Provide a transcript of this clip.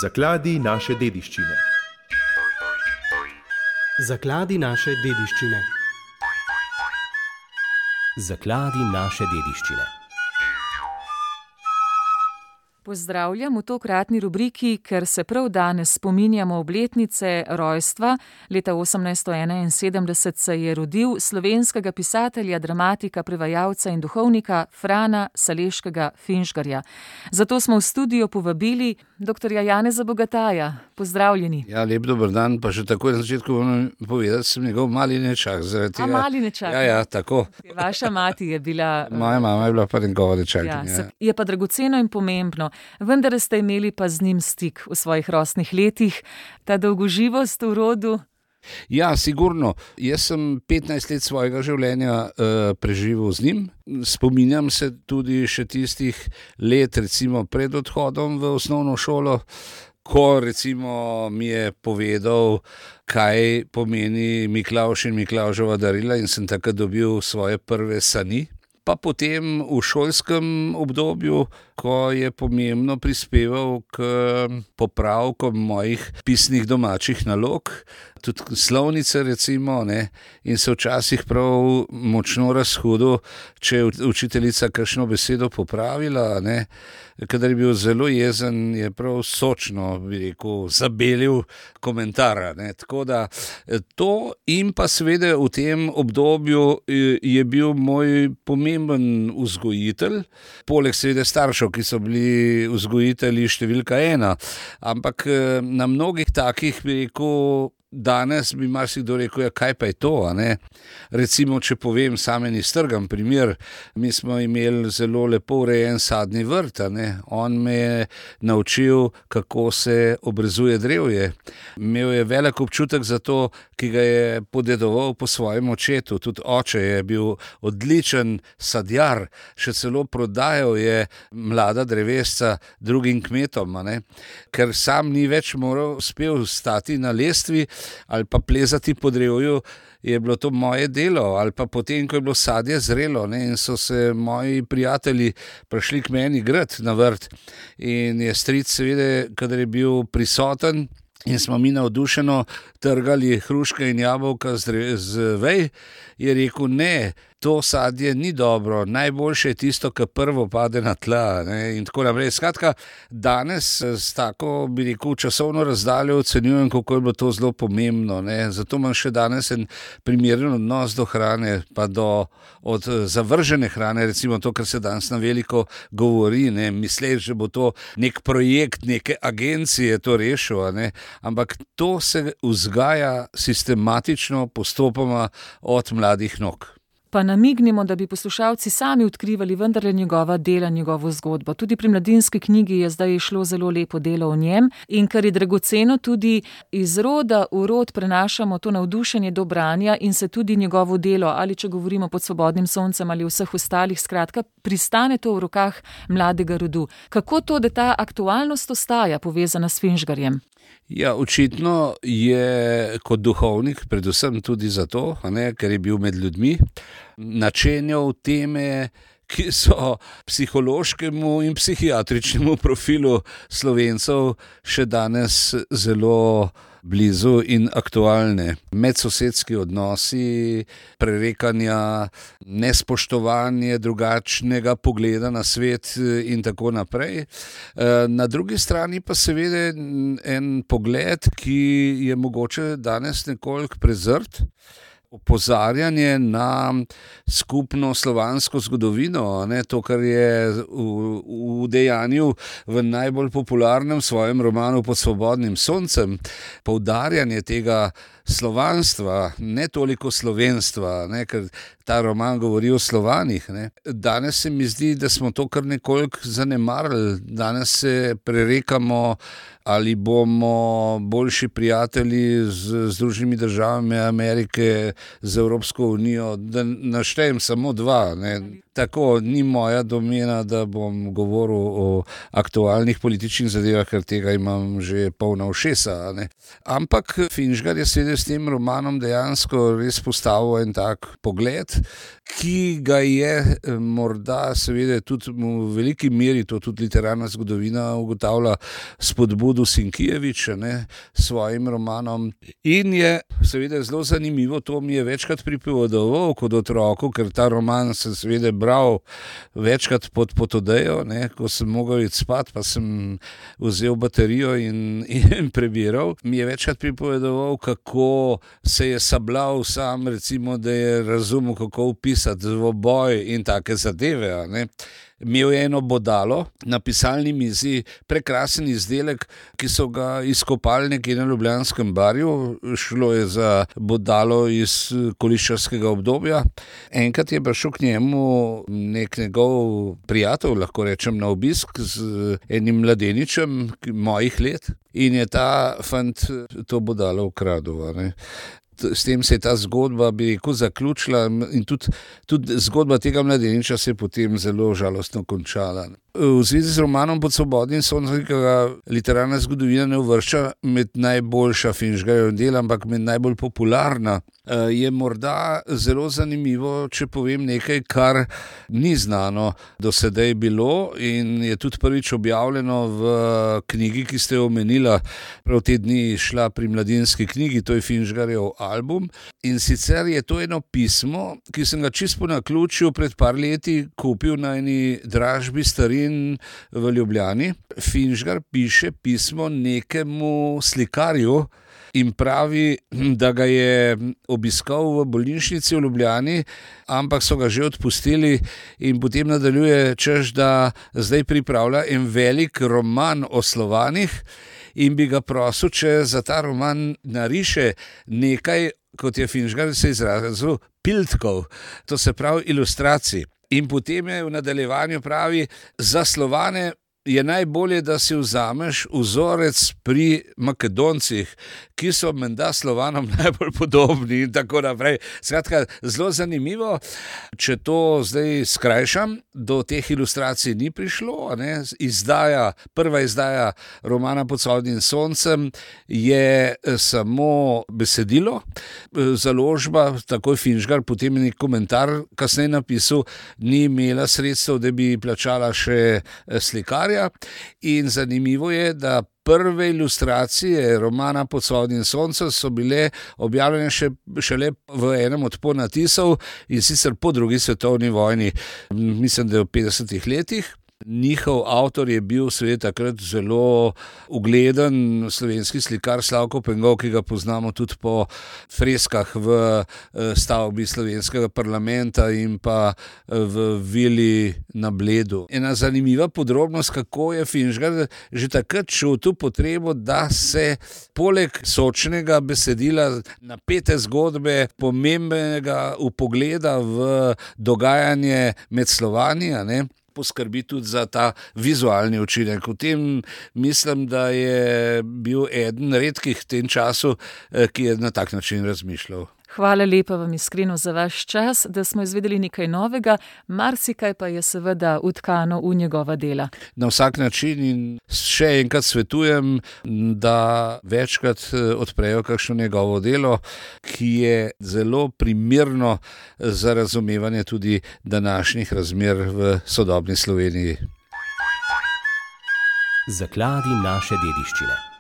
Zakladi naše dediščine. Zakladi naše dediščine. Zakladi naše dediščine. Pozdravljam v tokratni rubriki, ker se prav danes spominjamo obletnice rojstva. Leta 1871 se je rodil slovenskega pisatelja, dramatika, prevajalca in duhovnika Frana Saleškega Finžgarja. Zato smo v studio povabili dr. Janeza Bogataja. Pozdravljeni. Ja, lep dober dan, pa že takoj na začetku moram povedati, sem njegov mali nečak. Mali nečak. Ja, tako. Vaša mati je bila... Moja mama je bila pa njegova nečakinja. Ja, je pa dragoceno in pomembno. Vendar ste imeli pa z njim stik v svojih rosnih letih, ta dolgoživost v rodu. Ja, sigurno. Jaz sem 15 let svojega življenja preživel z njim. Spominjam se tudi še tistih let, recimo pred odhodom v osnovno šolo, ko recimo mi je povedal, kaj pomeni Miklavž in Miklavževa darila, in sem takrat dobil svoje prve sani. Pa potem v šolskem obdobju, ko je pomembno prispeval k popravkom mojih pisnih domačih nalog, tudi slovnice recimo, ne, in se včasih prav močno razhudil, če je učiteljica kakšno besedo popravila, ne. Kadar je bil zelo jezen, je prav sočno, bi rekel, zabelil komentar, ne. Tako da to in pa seveda v tem obdobju je bil moj pomemben vzgojitelj, poleg seveda staršev, ki so bili vzgojitelji številka 1, ampak na mnogih takih, bi rekel, danes bi marsikdo rekel, ja, kaj pa je to, a ne? Recimo, če povem sam en iztrgan primer, mi smo imeli zelo lepo urejen sadni vrt, a ne? On me je naučil, kako se obrezuje drevje. Imel je velik občutek za to, ki ga je podedoval po svojem očetu. Tudi oče je bil odličen sadjar, še celo prodajal je mlada drevesca drugim kmetom, a ne? Ker sam ni več uspel stati na lestvi ali pa plezati po drevju, je bilo to moje delo, ali pa potem, ko je bilo sadje zrelo, ne, in so se moji prijatelji prišli k meni grat na vrt, in je stric seveda, kadar je bil prisoten, in smo mi navdušeno trgali hruške in jabolka z vej, je rekel, ne, to sadje ni dobro, najboljše je tisto, ki prvo pade na tla, ne, in tako naprej. Skratka, danes s tako, bi rekel, časovno razdaljo ocenjujem, kako je bilo to zelo pomembno, ne. Zato imam še danes en primeren odnos do hrane, pa od zavržene hrane, recimo to, kar se danes na veliko govori, ne, misleč, že bo to nek projekt, neke agencije to rešil, ne, ampak to se vzgaja sistematično, postopoma od mladih nog. Pa namignimo, da bi poslušalci sami odkrivali vendarle njegova dela, njegovo zgodbo. Tudi pri Mladinski knjigi je zdaj šlo zelo lepo delo o njem, in kar je dragoceno, tudi iz roda v rod prenašamo to navdušenje do branja in se tudi njegovo delo, ali če govorimo Pod svobodnim soncem ali vseh ostalih, skratka, pristane to v rokah mladega rodu. Kako to, da ta aktualnost ostaja povezana s Finžgarjem? Ja, očitno je kot duhovnik, predvsem tudi zato, ker je bil med ljudmi, načenjal teme, ki so psihološkemu in psihiatričnemu profilu Slovencev še danes zelo blizu in aktualne. Medsosedski odnosi, prerekanja, nespoštovanje drugačnega pogleda na svet in tako naprej. Na drugi strani pa seveda en pogled, ki je mogoče danes nekoliko prezrt, opozarjanje na skupno slovansko zgodovino, ne, to, kar je v dejanju v najbolj popularnem svojem romanu Pod svobodnim soncem, poudarjanje tega slovanstva, ne toliko slovenstva, ne, ker ta roman govori o Slovanih, ne. Danes se mi zdi, da smo to kar nekoliko zanemarili. Danes se prerekamo, ali bomo boljši prijatelji z Združenimi državami Amerike, z Evropsko unijo, da naštejem samo dva, ne. Tako, ni moja domena, da bom govoril o aktualnih političnih zadevah, ker tega imam že polna ušesa. Ne? Ampak Finžgar je seveda s tem romanom dejansko res postavil en tak pogled, ki ga je morda seveda tudi v veliki meri, to tudi literarna zgodovina ugotavlja, spodbudil Sienkiewicz s svojim romanom. In je seveda zelo zanimivo, to mi je večkrat pripovedoval kot otroku, ker ta roman sem seveda bral večkrat pod odejo, ko sem mogel iti spat, pa sem vzel baterijo in prebiral. Mi je večkrat pripovedoval, kako se je sabljal sam, recimo, da je razumel, kako opisati dvoboj in take zadeve. Imel je eno bodalo na pisalni mizi, prekrasen izdelek, ki so ga izkopali nekje na Ljubljanskem barju. Šlo je za bodalo iz koliščarskega obdobja. Enkrat je prišel k njemu nek njegov prijatelj, lahko rečem, na obisk z enim mladeničem mojih let in je ta fant to bodalo ukradel. S tem se je ta zgodba, bi rekel, zaključila in tudi zgodba tega mladeniča se je potem zelo žalostno končala. V zvezi z romanom Pod svobodnim soncem, ki ga literarna zgodovina ne uvršča med najboljša Finžgarjeva dela, ampak med najbolj popularna, je morda zelo zanimivo, če povem nekaj, kar ni znano do sedaj bilo in je tudi prvič objavljeno v knjigi, ki ste jo omenila, prav te dni šla pri Mladinski knjigi, to je Finžgarjev album. In sicer je to eno pismo, ki sem ga čisto po naključju pred par leti kupil na eni dražbi starin v Ljubljani. Finžgar piše pismo nekemu slikarju in pravi, da ga je obiskal v bolnišnici v Ljubljani, ampak so ga že odpustili in potem nadaljuje, češ da zdaj pripravlja en velik roman o Slovanih in bi ga prosil, če za ta roman nariše nekaj, kot je Finžgar se izrazil, piltkov, to se pravi ilustracij. In potem je v nadaljevanju pravi, za Slovane je najbolje, da si vzameš vzorec pri Makedoncih, ki so menda Slovanom najbolj podobni in tako naprej. Skratka, zelo zanimivo. Če to zdaj skrajšam, do teh ilustracij ni prišlo. Prva izdaja romana Pod svobodnim soncem je samo besedilo. Založba, takoj Finžgar, potem je nek komentar kasneje napisal, ni imela sredstev, da bi plačala še slikarja. In zanimivo je, da prve ilustracije romana Pod svobodnim soncem so bile objavljene šele v enem od ponatisov in sicer po drugi svetovni vojni, mislim, da je v 50-ih letih. Njihov avtor je bil seveda takrat zelo ugleden slovenski slikar Slavko Pengov, ki ga poznamo tudi po freskah v stavbi slovenskega parlamenta in pa v vili na Bledu. Ena zanimiva podrobnost, kako je Finžgar že takrat čutil potrebo, da se poleg sočnega besedila, napete zgodbe, pomembnega vpogleda v dogajanje med Slovani, poskrbi tudi za ta vizualni učinek. V tem mislim, da je bil eden redkih v tem času, ki je na tak način razmišljal. Hvala lepa vam iskreno za vaš čas, da smo izvedeli nekaj novega, marsikaj pa je seveda utkano v njegova dela. Na vsak način in še enkrat svetujem, da večkrat odprejo kakšno njegovo delo, ki je zelo primerno za razumevanje tudi današnjih razmer v sodobni Sloveniji. Zakladi naše dediščine.